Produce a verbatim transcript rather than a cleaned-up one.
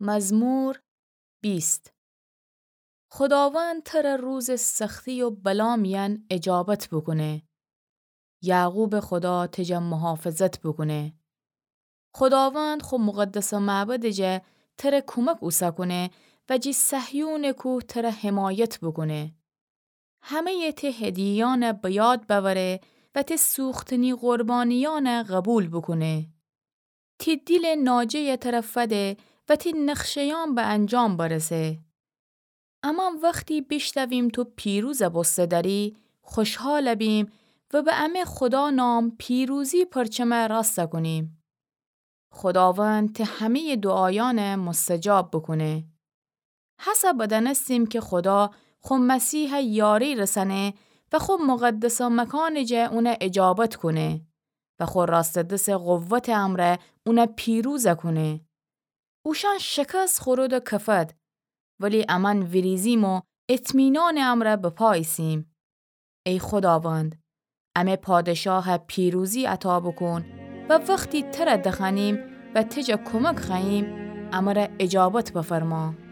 مزمور بیست. خوداوند تره روزٚ سختی و بلا میأن اجابت بوکونه. یعقوبٚ خدا تجه محافظت بوکونه. خوداوند خو مقدسٚ معبدٚ جا تره کومک اوسه کونه و جی صهیونٚ کوه تره حمایت بوکونه. همه‌یٚ تی هدیه‌یأنه به یاد بأوره و تی سوختنی قربانیأنه قبول بوکونه. تی دیلٚ ناجه‌یه تره فده و تی نقشه‌یأن به انجام برسه. اما وختی بیشنویم تو پیروزٚ بوسته دأری، خوشحال بیم و به امه خودا نام پیروزی پرچمه راسته کونیم. خوداوند تی همه‌یٚ دوعایأنه مستجاب بوکونه. هسه بدأنستیم کی خودا خو مسیحه یاری رسأنه و خو مقدسٚ مکانٚ جا اونه اجابت کونه و خو راستٚ دسٚ قوتٚ امرأ اونه پیروز کونه. اوشأن شکست خورد و کفد، ولی امأن ویریزیم و اطمینانٚ امرأ به پا ایسیم. ای خوداوند، امه پادشاه پیروزی عطا بوکون و وختی تره دخوأنیم و تجه کومک خوأییم، امره اجابت بفرما.